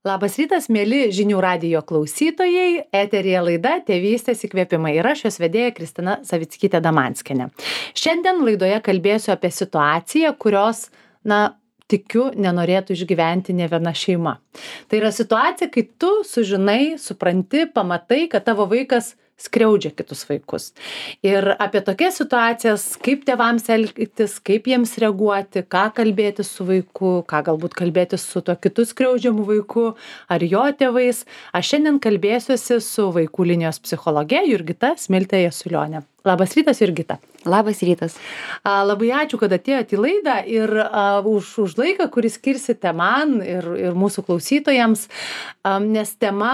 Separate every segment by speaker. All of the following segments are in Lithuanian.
Speaker 1: Labas rytas, mėly žinių radijo klausytojai. Eteryje laida Tėvystės įkvėpimai ir aš jos vedėja Kristina Savickytė-Damanskienė. Šiandien laidoje kalbėsiu apie situaciją, kurios, tikiu, nenorėtų išgyventi ne viena šeima. Tai yra situacija, kai tu sužinai, supranti, pamatai, kad tavo vaikas skriaudžia kitus vaikus. Ir apie tokias situacijas, kaip tėvams elgtis, kaip jiems reaguoti, ką kalbėti su vaiku, ką galbūt kalbėti su tuo kitu skriaudžiamu vaiku ar jo tėvais. Aš šiandien kalbėsiuosi su vaikų linijos psichologe Jurgita Smiltė Jasiulionė. Labas rytas, Jurgita.
Speaker 2: Labas rytas.
Speaker 1: Labai ačiū, kad atėjote į laidą ir už laiką, kurį skirsite man ir mūsų klausytojams, nes tema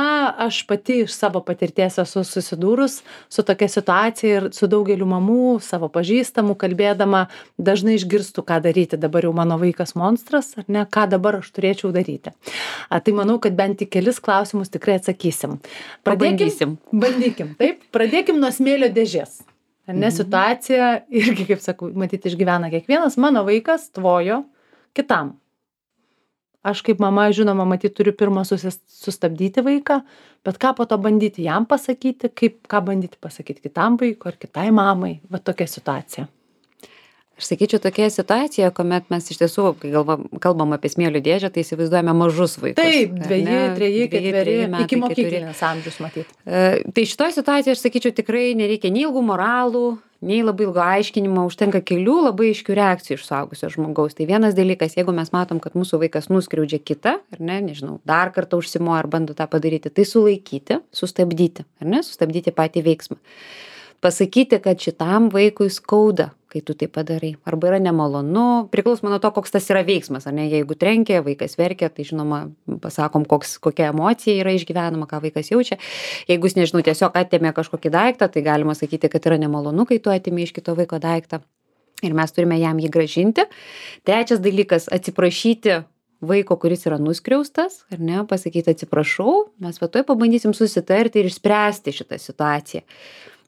Speaker 1: aš pati iš savo patirties esu susidūrus su tokia situacija ir su daugeliu mamų, savo pažįstamų kalbėdama, dažnai išgirstu, ką daryti. Dabar jau mano vaikas monstras, ar ne, ką dabar aš turėčiau daryti. Tai manau, kad bent tik kelis klausimus tikrai atsakysim. Bandykim, taip? Pradėkim nuo smėlio dėžės. Ar ne, situacija irgi, kaip sakau, matyti išgyvena kiekvienas. Mano vaikas tvojo kitam. Aš kaip mama, žinoma, matyti turiu pirmą sustabdyti vaiką, bet ką po to bandyti jam pasakyti, ką bandyti pasakyti kitam vaikui ar kitai mamai. Va tokia situacija.
Speaker 2: Aš sakyčiau, tokia situacija, kuomet mes iš tiesų, kai kalbam apie smėlio dėžę, tai įsivaizduojame mažus vaikus.
Speaker 1: Taip, 2, 3, 4 metai, iki mokyklinės amžius matyti.
Speaker 2: Tai šitoje situacijoje, aš sakyčiau, tikrai nereikia nei ilgų moralų, nei labai ilgo aiškinimo, užtenka kelių labai aiškių reakcijų iš suaugusio žmogaus. Tai vienas dalykas, jeigu mes matom, kad mūsų vaikas nuskriaudžia kitą, ar ne, nežinau, dar kartą užsimoja ar bando tą padaryti, tai sulaikyti, sustabdyti, ar ne, sustabdyti patį veiksmą. Pasakyti, kad šitam vaikui skauda, kai tu tai padarai. Arba yra nemalonu, priklausomai nuo to, koks tas yra veiksmas. Ar ne? Jeigu trenkia, vaikas verkia, tai žinoma, pasakom, kokia emocija yra išgyvenama, ką vaikas jaučia. Jeigu jis, nežinau, tiesiog atėmė kažkokį daiktą, tai galima sakyti, kad yra nemalonu, kai tu atėmė iš kito vaiko daiktą. Ir mes turime jam jį grąžinti. Trečias dalykas - atsiprašyti vaiko, kuris yra nuskriaustas, ar ne, pasakyti atsiprašau, mes va tuoj pabandysim susitarti ir išspręsti šitą situaciją.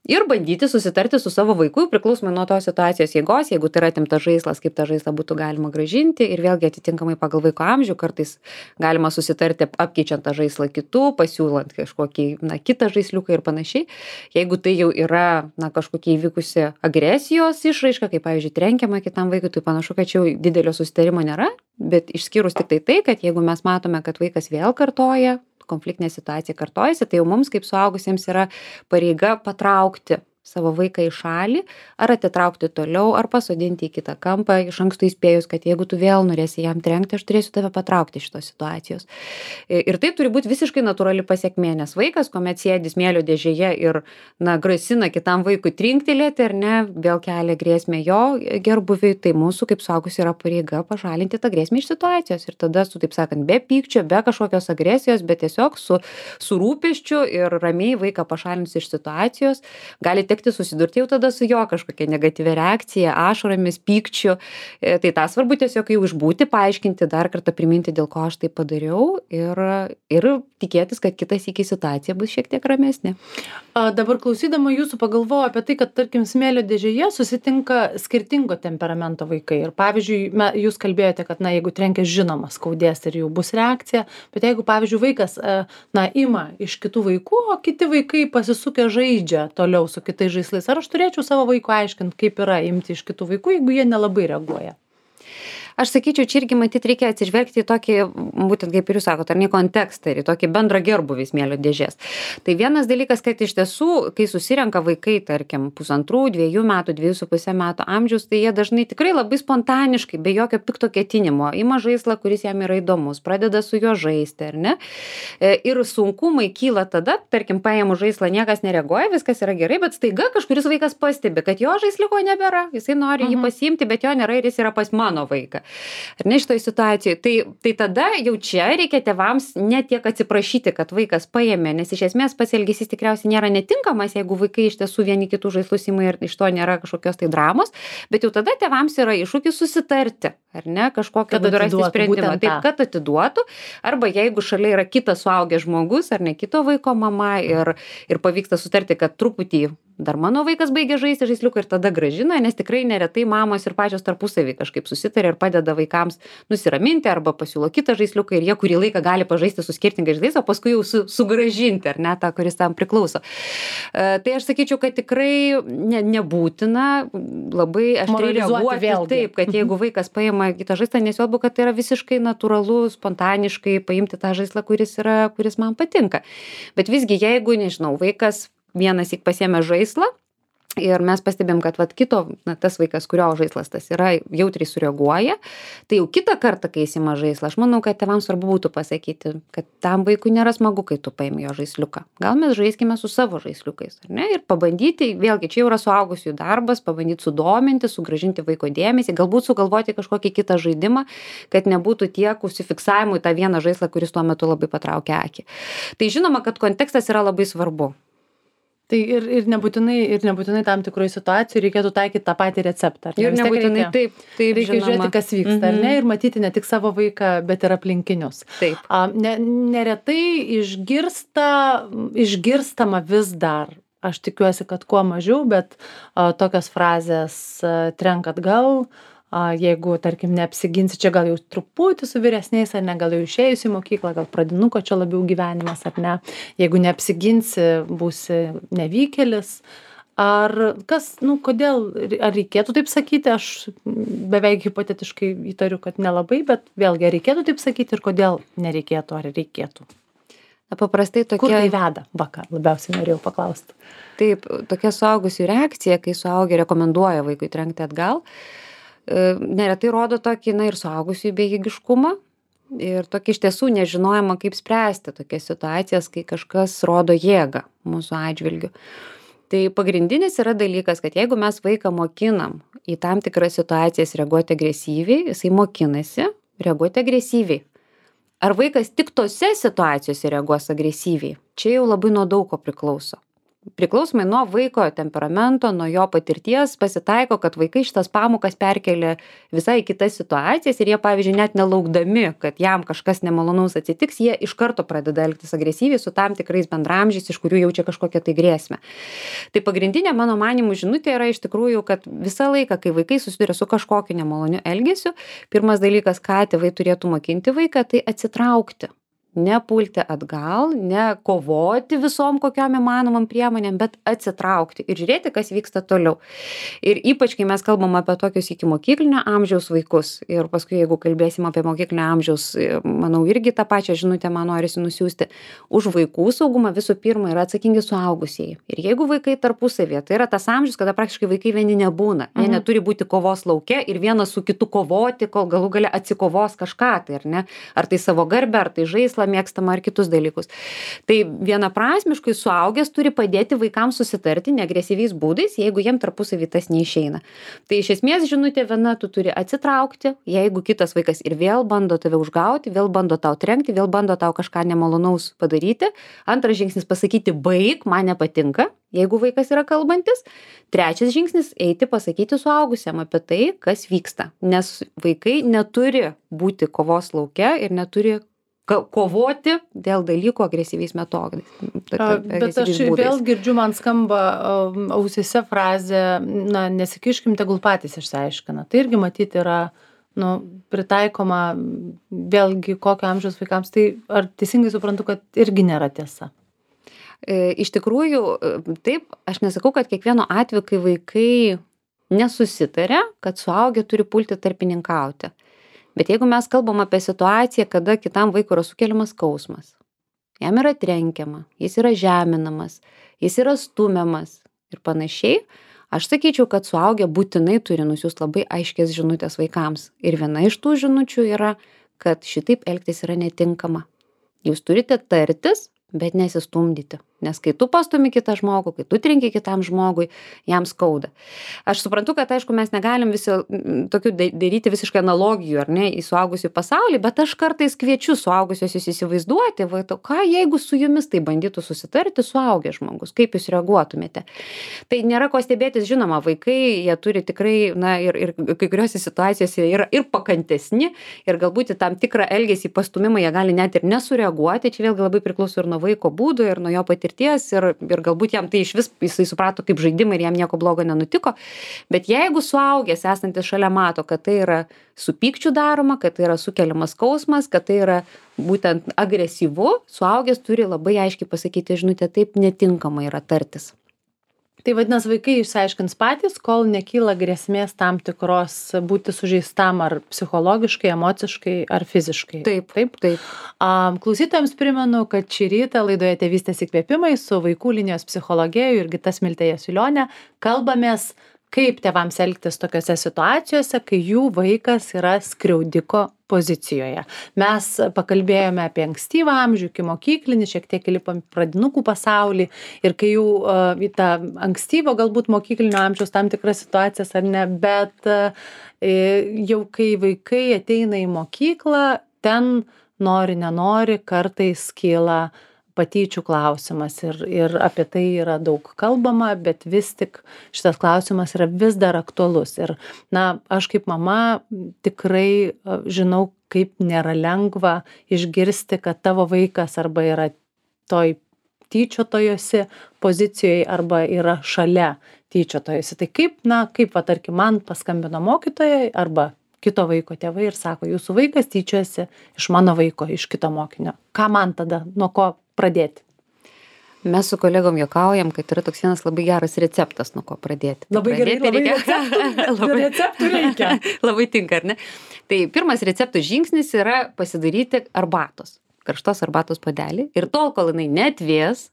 Speaker 2: Ir bandyti susitarti su savo vaiku, priklausomai nuo tos situacijos jėgos, jeigu tai yra atimtas žaislas, kaip tą žaislą būtų galima grąžinti ir vėlgi atitinkamai pagal vaiko amžių, kartais galima susitarti apkeičiant tą žaislą kitų, pasiūlant kažkokį, kitą žaisliuką ir panašiai. Jeigu tai jau yra, kažkokia įvykusi agresijos išraiška, kaip, pavyzdžiui, trenkiama kitam vaikui, tai panašu, kad čia jau didelio susitarimo nėra, bet išskyrus tik tai, kad jeigu mes matome, kad vaikas vėl kartoja, konfliktinė situacija kartojasi, tai jau mums kaip suaugusiems yra pareiga patraukti savo vaiką į šalį, ar atitraukti toliau, ar pasodinti į kitą kampą, iš anksto įspėjus, kad jeigu tu vėl norėsi jam trenkti, aš turėsiu tave patraukti iš tos situacijos. Ir tai turi būti visiškai natūrali pasekmė, nes vaikas, kuomet sėdi smėlio dėžėje ir, grasina kitam vaikui trinktelėti, ar ne, vėl kelia grėsmę jo gerbuviui, tai mūsų kaip suaugusių yra pareiga pašalinti tą grėsmę iš situacijos. Ir tada su, taip sakant, be pykčio, be kažkokios agresijos, bet tiesiog su rūpesčiu ir ramiai vaiką pašalinus iš situacijos, gali tekti susidurti jau tada su jo kažkokia negatyvia reakcija, ašaromis, pykčiu. Tai tą svarbu tiesiog jau išbūti, paaiškinti, dar kartą priminti, dėl ko aš tai padariau ir tikėtis, kad kitas iki situacija bus šiek tiek ramesnė.
Speaker 1: Dabar klausydama jūsų pagalvoju apie tai, kad, tarkim, smėlio dėžėje susitinka skirtingo temperamento vaikai. Ir pavyzdžiui, jūs kalbėjote, kad, jeigu trenkia, žinoma, skaudės ir jau bus reakcija, bet jeigu, pavyzdžiui, vaikas, ima iš kitų vaikų, o kiti vaikai pasisukę žaidžia toliau su kitais žaislais. Ar aš turėčiau savo vaikui aiškinti, kaip yra imti iš kitų vaikų, jeigu jie nelabai reaguoja?
Speaker 2: Aš sakyčiau, čia irgi matyti reikia atsižvelgti į tokį, būtent kaip ir jūs sakote, ar ne kontekstą, ir į tokį bendrą gerbuvį smėlio dėžės. Tai vienas dalykas, kad iš tiesų, kai susirenka vaikai, tarkim, 1,5, 2 metų, 2,5 metų amžiaus, tai jie dažnai tikrai labai spontaniškai, be jokio pikto ketinimo, ima žaislą, kuris jam yra įdomus, pradeda su juo žaisti, ar ne? Ir sunkumai kyla tada, tarkim, paėmų žaislą, niekas nereaguoja, viskas yra gerai, bet staiga kažkuris vaikas pastebi, kad jo žaisliuko nebėra, jisai nori jį pasiimti, bet jo nėra ir jis yra pas mano vaiką. Ar ne šitoj situacijoj? Tai tada jau čia reikia tėvams ne tiek atsiprašyti, kad vaikas paėmė, nes iš esmės pats elgesys tikriausiai nėra netinkamas, jeigu vaikai iš tiesų vieni kitų žaislus ima ir iš to nėra kažkokios tai dramos, bet jau tada tėvams yra iššūkis susitarti, ar ne, kažkokio būdu rasti sprendimą, taip, kad atiduotų, arba jeigu šalia yra kitas suaugęs žmogus, ar ne kito vaiko mama ir pavyksta sutarti, kad truputį dar mano vaikas baigia žaisti žaisliuką ir tada grąžina, nes tikrai neretai mamos ir pačios tarpusavy kažkaip susitarė ir padeda vaikams nusiraminti arba pasiūlo kitą žaisliuką ir jie kurį laiką gali pažaisti su skirtingais žaislais, o paskui jau sugrąžinti, ar ne, tą, kuris tam priklauso. Tai aš sakyčiau, kad tikrai nebūtina labai aštriai reaguoti taip, kad jeigu vaikas paima kitą žaislą, nesvarbu, kad tai yra visiškai natūralu, spontaniškai paimti tą žaislą, kuris man patinka. Bet visgi, jeigu, nežinau, vaikas vienąsyk pasiėmė žaislą ir mes pastebėm, kad tas vaikas, kurio žaislas tas yra, jautriai sureaguoja, tai jau kitą kartą, kai įsima žaislą, aš manau, kad tėvams svarbu būtų pasakyti, kad tam vaikui nėra smagu, kai tu paimi jo žaisliuką. Gal mes žaiskime su savo žaisliukais, ar ne? Ir pabandyti, vėlgi, čia jau yra suaugusiųjų darbas, pabandyti sudominti, sugrąžinti vaiko dėmesį, galbūt sugalvoti kažkokį kitą žaidimą, kad nebūtų tiek užsifiksavimų į tą vieną žaislą, kuris tuo metu labai patraukia akį. Tai žinoma, kad kontekstas yra labai svarbu.
Speaker 1: Tai ir nebūtinai tam tikroje situacijoje reikėtų taikyti tą patį receptą.
Speaker 2: Ir nebūtinai taip
Speaker 1: reikia žiūrėti, kas vyksta, ar ne, ir matyti ne tik savo vaiką, bet ir aplinkinius.
Speaker 2: Taip.
Speaker 1: Neretai išgirstama vis dar, aš tikiuosi, kad kuo mažiau, bet tokios frazės trenk atgal, jeigu, tarkim, neapsiginsi, čia gal jau truputį su vyresniais, ar ne, gal jau išėjus į mokyklą, gal pradinuko čia labiau gyvenimas, ar ne, jeigu neapsiginsi, būsi nevykėlis, ar kodėl, ar reikėtų taip sakyti, aš beveik hipotetiškai įtariu, kad nelabai, bet vėlgi, ar reikėtų taip sakyti ir kodėl nereikėtų, ar reikėtų?
Speaker 2: Paprastai tokia...
Speaker 1: Kur tai veda? Labiausiai norėjau paklausti.
Speaker 2: Taip, tokia suaugusių reakcija, kai suaugę rekomenduoja vaikui trenkti atgal, neretai rodo tokį, ir suaugusių bejėgiškumą ir tokį iš tiesų nežinojimą, kaip spręsti tokias situacijas, kai kažkas rodo jėgą mūsų atžvilgiu. Tai pagrindinis yra dalykas, kad jeigu mes vaiką mokinam į tam tikras situacijas reaguoti agresyviai, jisai mokinasi reaguoti agresyviai. Ar vaikas tik tose situacijose reaguos agresyviai? Čia jau labai nuo daug ko priklauso. Priklausomai nuo vaiko temperamento, nuo jo patirties pasitaiko, kad vaikai šitas pamokas perkelia visai kitas situacijas ir jie, pavyzdžiui, net nelaukdami, kad jam kažkas nemalonaus atsitiks, jie iš karto pradeda elgtis agresyviai su tam tikrais bendramžiais, iš kurių jaučia kažkokią tai grėsmę. Tai pagrindinė, mano manymų, žinutė yra iš tikrųjų, kad visą laiką, kai vaikai susiduria su kažkokiu nemaloniu elgesiu, pirmas dalykas, ką tėvai turėtų mokinti vaiką, tai atsitraukti. Nepulti atgal, ne kovoti visom kokiom įmanomam priemonėm, bet atsitraukti ir žiūrėti, kas vyksta toliau. Ir ypač, kai mes kalbam apie tokius iki mokyklinio amžiaus vaikus ir paskui, jeigu kalbėsim apie mokyklinio amžiaus, manau, irgi tą pačią žinutę man norisi nusiųsti. Už vaikų saugumą visų pirma yra atsakingi suaugusieji. Ir jeigu vaikai tarpusavėje, tai yra tas amžius, kada praktiškai vaikai vieni nebūna. Jie neturi būti kovos lauke ir vienas su kitu kovoti, kol galų gale atsikovos kažką, tai ar ne? Ar tai savo garbę, ar tai žaislą mėgstamą ar kitus dalykus. Tai vienaprasmiškai suaugęs turi padėti vaikams susitarti neagresyviais būdais, jeigu jiem tarpusavy tas neišeina. Tai iš esmės žinutė viena, tu turi atsitraukti, jeigu kitas vaikas ir vėl bando tave užgauti, vėl bando tau trenkti, vėl bando tau kažką nemalonaus padaryti. Antras žingsnis pasakyti baik, man nepatinka, jeigu vaikas yra kalbantis. Trečias žingsnis eiti pasakyti suaugusiam apie tai, kas vyksta. Nes vaikai neturi būti kovos lauke ir neturi kovoti dėl dalykų agresyviais metodais.
Speaker 1: Bet aš vėl girdžiu, man skamba ausyse frazė, nesikiškim, tegul patys išsiaiškina. Tai irgi matyti yra pritaikoma vėlgi kokio amžiaus vaikams. Tai ar teisingai suprantu, kad irgi nėra tiesa?
Speaker 2: Iš tikrųjų, taip, aš nesakau, kad kiekvieno atveju, kai vaikai nesusitaria, kad suaugę turi pulti tarpininkauti. Bet jeigu mes kalbam apie situaciją, kada kitam vaikui yra sukeliamas skausmas, jam yra trenkiama, jis yra žeminamas, jis yra stumiamas ir panašiai, aš sakyčiau, kad suaugę būtinai turi nusiųsti labai aiškias žinutės vaikams. Ir viena iš tų žinučių yra, kad šitaip elgtis yra netinkama. Jūs turite tartis, bet nesistumdyti. Nes kai tu pastumi kitą žmogų, kai tu trenki kitam žmogui, jam skauda. Aš suprantu, kad aišku, mes negalim visi tokių daryti visiškai analogijų, ar ne, į suaugusių pasaulį, bet aš kartais kviečiu suaugusiosius įsivaizduoti, ką jeigu su jumis tai bandytų susitarti suaugęs žmogus, kaip jūs reaguotumėte. Tai nėra ko stebėtis, žinoma, vaikai, jie turi tikrai, ir kai kuriuose situacijose yra ir pakantesni, ir galbūt į tam tikrą elgesį pastumimą jie gali net ir nesureaguoti, čia vėlgi labai priklauso ir nuo vaiko būdo, ir nuo jo patirties. patirties ir galbūt jam tai išvis jisai suprato kaip žaidimą ir jam nieko blogo nenutiko. Bet jeigu suaugęs esantis šalia mato, kad tai yra su pykčiu daroma, kad tai yra sukeliamas skausmas, kad tai yra būtent agresyvu, suaugęs turi labai aiškiai pasakyti žinutę, taip netinkama yra tartis.
Speaker 1: Tai vadinasi, vaikai išsiaiškins patys, kol nekyla grėsmės tam tikros būti sužeistam ar psichologiškai, emociškai ar fiziškai.
Speaker 2: Taip.
Speaker 1: Klausytojams primenu, kad šį rytą laidoje Tėvystės įkvėpimai su vaikų linijos psichologė Jurgita Smiltė Jasiulionė kalbamės, kaip tėvams elgtis tokiose situacijose, kai jų vaikas yra skriaudiko pozicijoje. Mes pakalbėjome apie ankstyvą amžių, iki mokyklinį, šiek tiek įlipom į pradinukų pasaulį ir kai jau į tą ankstyvo galbūt mokyklinio amžiaus tam tikras situacijas ar ne, bet jau kai vaikai ateina į mokyklą, ten nori, nenori, kartais kyla patyčių klausimas ir apie tai yra daug kalbama, bet vis tik šitas klausimas yra vis dar aktualus. Ir, aš kaip mama tikrai žinau, kaip nėra lengva išgirsti, kad tavo vaikas arba yra toj tyčiotojosi pozicijoje arba yra šalia tyčiotojosi. Tai kaip tarkim, man paskambino mokytojai arba kito vaiko tėvai ir sako, jūsų vaikas tyčiojasi iš mano vaiko, iš kito mokinio. Ką man tada, nuo ko pradėti?
Speaker 2: Mes su kolegom juokaujam, kad yra toks vienas labai geras receptas, nuo ko pradėti.
Speaker 1: Labai gerai, receptų reikia.
Speaker 2: Labai tinka, ar ne? Tai pirmas receptų žingsnis yra pasidaryti arbatos, karštos arbatos puodelį ir tol, kol jinai neatvės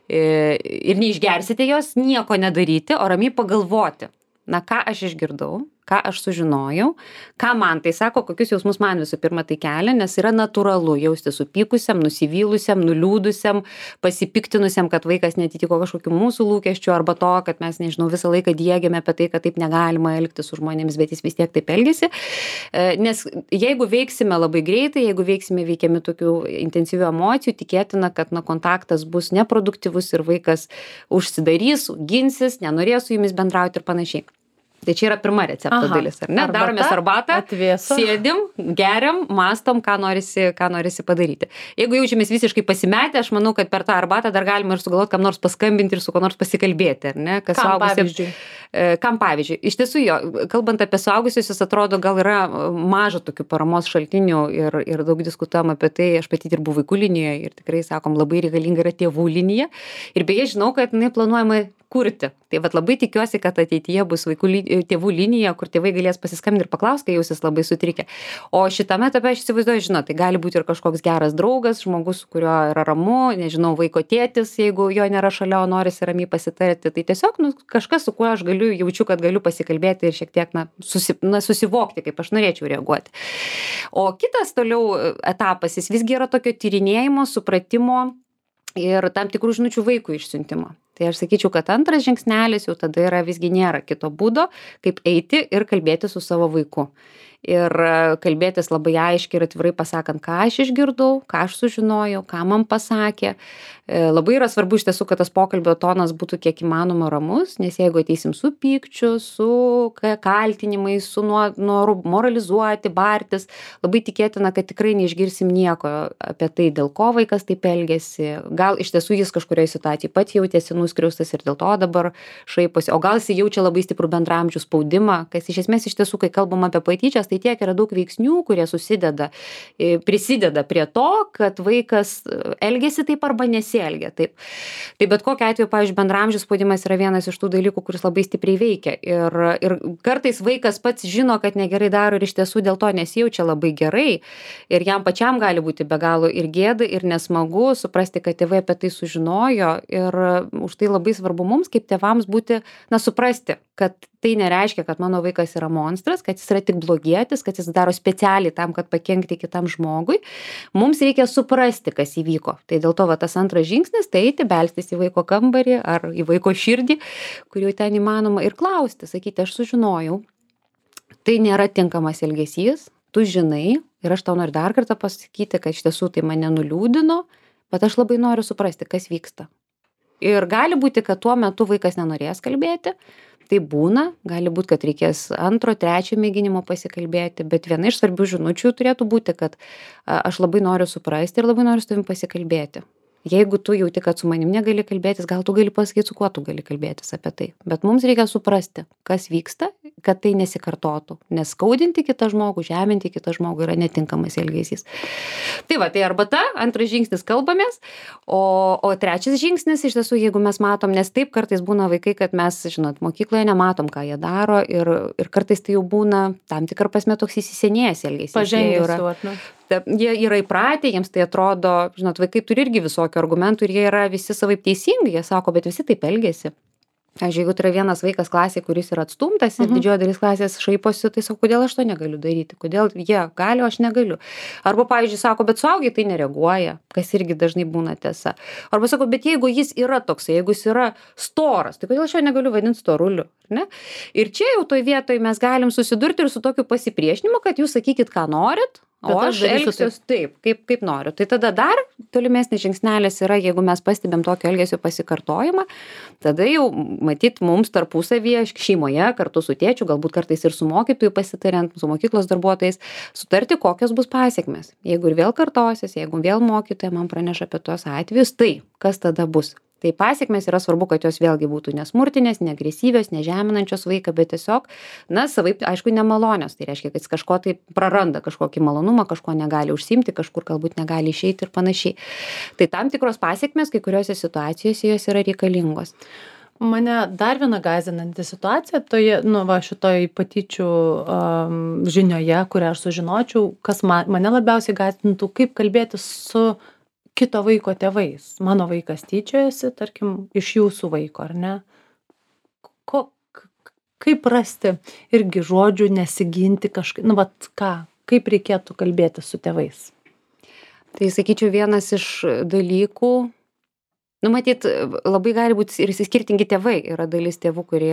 Speaker 2: ir neišgersite jos, nieko nedaryti, o ramiai pagalvoti. Ką aš išgirdau, ką aš sužinojau, ką man tai sako, kokius jausmus man visų pirma tai kelia, nes yra natūralu jausti supykusiam, nusivylusiam, nuliūdusiam, pasipiktinusiam, kad vaikas netitiko kažkokių mūsų lūkesčių arba to, kad mes, nežinau, visą laiką diegiame apie tai, kad taip negalima elgtis su žmonėmis, bet jis vis tiek taip elgesi. Nes jeigu veiksime labai greitai, jeigu veiksime veikiami tokių intensyvių emocijų, tikėtina, kad kontaktas bus neproduktyvus ir vaikas užsidarys, ginsis, nenorės su jumis bendrauti ir panašiai. Tai čia yra pirma recepto dalis, ar ne? Daromės arbatą, sėdim, geriam, mastom, ką norisi padaryti. Jeigu jaučiamės visiškai pasimetę, aš manau, kad per tą arbatą dar galima ir sugalvoti, kam nors paskambinti ir su kuo nors pasikalbėti, ar ne? Kam pavyzdžiui? Iš tiesų jo, kalbant apie suaugusius, atrodo, gal yra maža tokių paramos šaltinių ir daug diskutuojam apie tai, aš pati dirbu vaikų linijoje ir tikrai sakom, labai reikalinga yra tėvų linija. Ir beje, žinau, kad jinai planuojama kurti. Tai labai tikiuosi, kad ateityje bus tėvų linija, kur tėvai galės pasiskambinti ir paklausti, kai jausis labai sutrikę. O šitame etape aš įsivaizduoju, tai gali būti ir kažkoks geras draugas, žmogus, su kuriuo yra ramu, nežinau, vaiko tėtis, jeigu jo nėra šalia, o norisi ramiai pasitarti. Tai tiesiog kažkas, su kuo aš jaučiu, kad galiu pasikalbėti ir šiek tiek susivokti, kaip aš norėčiau reaguoti. O kitas toliau etapas, jis visgi yra tokio tyrinėjimo, supratimo ir tam tikrų žinučių vaikų išsiuntimo. Tai aš sakyčiau, kad antras žingsnelis jau tada yra visgi nėra kito būdo, kaip eiti ir kalbėti su savo vaiku. Ir kalbėtis labai aiškiai ir atvirai pasakant, ką aš išgirdau, ką aš sužinojau, ką man pasakė. Labai yra svarbu iš tiesų, kad tas pokalbio tonas būtų kiek įmanoma ramus, nes jeigu ateisim su pykčiu, su kaltinimais, su noru moralizuoti, bartis, labai tikėtina, kad tikrai neišgirsim nieko apie tai, dėl ko vaikas taip elgėsi. Gal iš tiesų jis kažkurioje situacijoje pat jautėsi nuskriaustas ir dėl to dabar šaiposi, o gal jis jaučia labai stiprų bendraamžių spaudimą, kas iš esmės iš tiesų, kai kalbam apie patyčias, tai tiek yra daug veiksnių, kurie prisideda prie to, kad vaikas elgėsi taip arba nesielgia taip. Tai bet kokiu atveju, pavyzdžiui, bendraamžių spaudimas yra vienas iš tų dalykų, kuris labai stipriai veikia. Ir kartais vaikas pats žino, kad negerai daro ir iš tiesų dėl to nesijaučia labai gerai. Ir jam pačiam gali būti be galo ir gėda, ir nesmagu suprasti, kad tėvai apie tai sužinojo. Ir už tai labai svarbu mums, kaip tėvams būti, suprasti, kad tai nereiškia, kad mano vaikas yra monstras, kad jis yra tik blogietis, kad jis daro specialiai tam, kad pakenkti kitam žmogui. Mums reikia suprasti, kas įvyko. Tai dėl to tas antras žingsnis, tai eiti, belstis į vaiko kambarį ar į vaiko širdį, kur jau ten įmanoma, ir klausti, sakyti, aš sužinojau, tai nėra tinkamas elgesys, tu žinai, ir aš tau noriu dar kartą pasakyti, kad iš tiesų tai mane nuliūdino, bet aš labai noriu suprasti, kas vyksta. Ir gali būti, kad tuo metu vaikas nenorės kalbėti, tai būna, gali būti, kad reikės antro, trečio mėginimo pasikalbėti, bet viena iš svarbių žinučių turėtų būti, kad aš labai noriu suprasti ir labai noriu su tavim pasikalbėti. Jeigu tu jauti, kad su manim negali kalbėtis, gal tu gali pasakyti, su kuo tu gali kalbėtis apie tai. Bet mums reikia suprasti, kas vyksta, kad tai nesikartotų. Nes skaudinti kitą žmogų, žeminti kitą žmogų yra netinkamas elgesys. Tai va, tai arbata, antras žingsnis kalbamės, o trečias žingsnis iš tiesų, jeigu mes matom, nes taip kartais būna vaikai, kad mes, žinot, mokykloje nematom, ką jie daro ir kartais tai jau būna tam tikrą prasme toks įsisenėjęs elgesys.
Speaker 1: Pažengęs jau, ne?
Speaker 2: Jie yra įpratę, jiems tai atrodo, žinot, vaikai turi irgi visokių argumentų ir jie yra visi savaip teisingi, jie sako, bet visi taip elgiasi. Pavyzdžiui, jeigu tai yra vienas vaikas klasėje, kuris yra atstumtas ir didžioji dalis klasės šaiposi, tai sako, kodėl aš to negaliu daryti, kodėl jie gali, o aš negaliu. Arba, pavyzdžiui, sako, bet suaugę tai nereaguoja, kas irgi dažnai būna tiesa. Arba sako, bet jeigu jis yra toksai, jeigu jis yra storas, tai kodėl aš jo negaliu vadinti storuliu, ne? Ir čia jau toj vietoj mes galim susidurti ir su tokiu pasipriešinimu, kad jūs sakykit, ką norit, o aš elgsiuos taip, kaip noriu. Tai tada dar tolimesnis žingsnelis yra, jeigu mes pastebėm tokio elgesio pasikartojimą, tada jau matyt mums tarpusavyje šeimoje kartu su tėčiu, galbūt kartais ir su mokytoju pasitariant, su mokyklos darbuotojais, sutarti, kokios bus pasekmės. Jeigu ir vėl kartosis, jeigu vėl mokytoja man praneša apie tuos atvejus, tai kas tada bus? Tai pasekmės yra svarbu, kad jos vėlgi būtų nesmurtinės, neagresyvios, nežeminančios vaiką, bet tiesiog, na, savaip, aišku, nemalonios. Tai reiškia, kad jis kažko tai praranda, kažkokį malonumą, kažko negali užsiimti, kažkur galbūt negali išeiti ir panašiai. Tai tam tikros pasekmės, kai kuriuose situacijose jos yra reikalingos.
Speaker 1: Mane dar viena gąsdinanti situacija toje, šitoj patyčių žinioje, kurią aš sužinočiau, kas mane labiausiai gąsdintų, kaip kalbėti su kito vaiko tėvais. Mano vaikas tyčiojasi, tarkim, iš jūsų vaiko, ar ne? Kaip rasti irgi žodžių, nesiginti kažkaip, kaip reikėtų kalbėti su tėvais?
Speaker 2: Tai sakyčiau, vienas iš dalykų, matyt, labai gali būti ir skirtingi tėvai. Yra dalis tėvų, kurie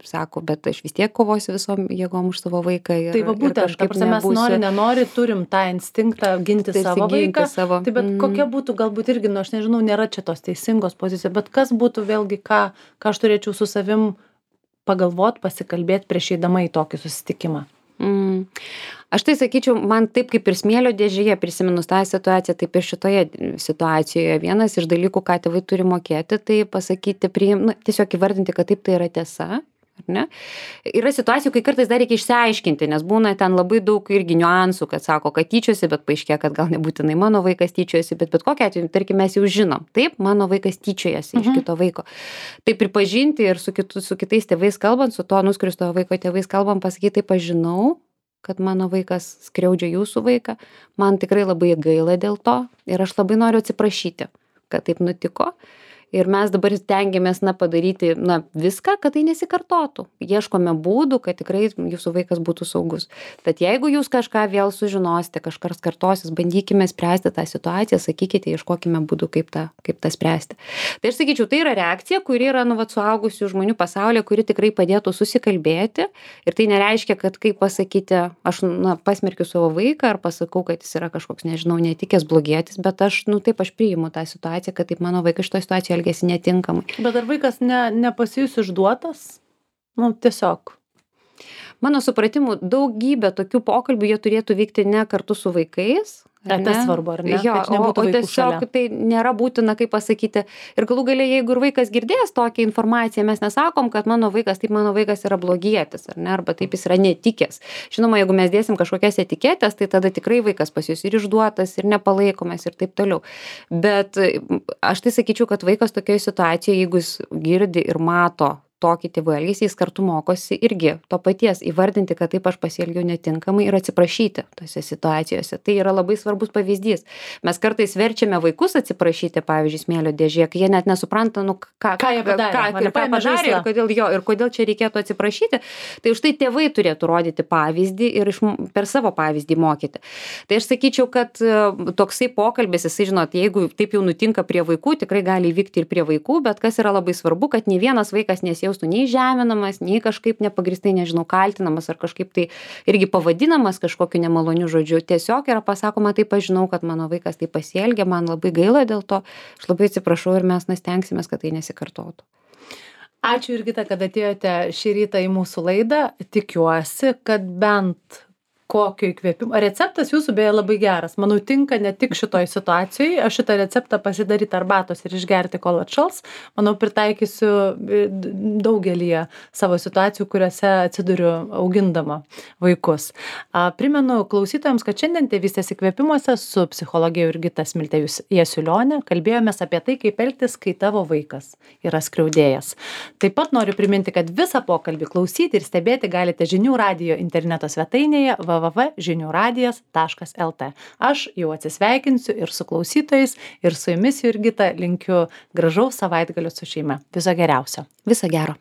Speaker 2: sako, bet aš vis tiek kovosiu visom jėgom už savo vaiką.
Speaker 1: Tai va būtent, mes nenori, turim tą instinktą ginti savo vaiką. Tai bet kokia būtų, galbūt irgi, aš nežinau, nėra čia tos teisingos pozicijos, bet kas būtų vėlgi, ką aš turėčiau su savim pagalvot, pasikalbėti prieš eidama į tokį susitikimą.
Speaker 2: Aš tai sakyčiau, man taip kaip ir smėlio dėžėje prisiminus tą situaciją, taip ir šitoje situacijoje vienas iš dalykų, ką tėvai turi mokėti, tai pasakyti, tiesiog įvardinti, kad taip tai yra tiesa. Ar ne? Yra situacijų, kai kartais dar reikia išsiaiškinti, nes būna ten labai daug irgi niuansų, kad sako, kad tyčiosi, bet paaiškėja, kad gal nebūtinai mano vaikas tyčiosi, bet kokiu atveju, tarkim, mes jau žinom, taip, mano vaikas tyčiojasi iš kito vaiko. Tai pripažinti ir su kitais tėvais kalbant, su to nuskriaustojo vaiko tėvais kalbant, pasakyti, taip, aš žinau, kad mano vaikas skriaudžia jūsų vaiką, man tikrai labai gaila dėl to ir aš labai noriu atsiprašyti, kad taip nutiko. Ir mes dabar stengiamės padaryti viską, kad tai nesikartotų. Ieškome būdų, kad tikrai jūsų vaikas būtų saugus. Tad jeigu jūs kažką vėl sužinosite, kažkas kartosis, bandykime spręsti tą situaciją, sakykite, ieškokime būdų, kaip tą spręsti. Tai aš sakyčiau, tai yra reakcija, kuri yra suaugusių žmonių pasaulyje, kuri tikrai padėtų susikalbėti. Ir tai nereiškia, kad kaip pasakyti, aš pasmerkiu savo vaiką ar pasakau, kad jis yra kažkoks, nežinau, netikęs blogietis, bet aš priimu tą situaciją, kad taip mano vaikas šitoje situacijoje elgiasi netinkamai.
Speaker 1: Bet ar vaikas nepasijus išduotas? Tiesiog.
Speaker 2: Mano supratimu, daugybė tokių pokalbių jie turėtų vykti ne kartu su vaikais.
Speaker 1: Tai svarbu, ar ne?
Speaker 2: Jo, o tiesiog tai nėra būtina, kaip pasakyti. Ir galų galia, jeigu ir vaikas girdės tokią informaciją, mes nesakom, kad mano vaikas yra blogietis, ar ne? Arba taip jis yra netikęs. Žinoma, jeigu mes dėsim kažkokias etiketės, tai tada tikrai vaikas pasijus ir išduotas, ir nepalaikomas, ir taip toliau. Bet aš tai sakyčiau, kad vaikas tokioje situacijoje, jeigu jis girdi ir mato tokį tėvų elgesį, jis kartu mokosi irgi to paties įvardinti, kad taip aš pasielgiau netinkamai ir atsiprašyti tose situacijose. Tai yra labai svarbus pavyzdys. Mes kartais verčiame vaikus atsiprašyti, pavyzdžiui, smėlio dėžėje, kai jie net nesupranta,
Speaker 1: ką jie padarė
Speaker 2: ir kodėl čia reikėtų atsiprašyti. Tai už tai tėvai turėtų rodyti pavyzdį ir per savo pavyzdį mokyti. Tai aš sakyčiau, kad toksai pokalbis, jisai, žinot, jeigu taip jau nutinka prie vaikų, tikrai gali įvykti ir prie vaikų, bet kas yra labai svarbu, kad nei vienas vaikas nesijaustų nei žeminamas, nei kažkaip nepagristai, nežinau, kaltinamas ar kažkaip tai irgi pavadinamas kažkokiu nemaloniu žodžiu. Tiesiog yra pasakoma, taip aš žinau, kad mano vaikas taip pasielgia, man labai gaila dėl to, aš labai atsiprašau ir mes stengsimės, kad tai nesikartotų.
Speaker 1: Ačiū Jurgita, kad atėjote šį rytą į mūsų laidą. Tikiuosi, kad bent kokio įkvėpimo. Receptas jūsų beje labai geras. Manau, tinka ne tik šitoj situacijai. Aš šitą receptą pasidaryti arbatos ir išgerti, kol atšals. Manau, pritaikysiu daugelį savo situacijų, kuriuose atsiduriu augindama vaikus. Primenu klausytojams, kad šiandien Tėvystės įkvėpimuose su psichologė Jurgita Smiltė Jasiulionė kalbėjomės apie tai, kaip elgtis, kai tavo vaikas yra skriaudėjas. Taip pat noriu priminti, kad visą pokalbį klausyti ir stebėti galite Žinių radijo interneto svetainėje www.žiniuradijas.lt. Aš jau atsisveikinsiu ir su klausytojais, ir su jumis, Jurgita, linkiu gražaus savaitgalio su šeima. Viso geriausio.
Speaker 2: Viso gero.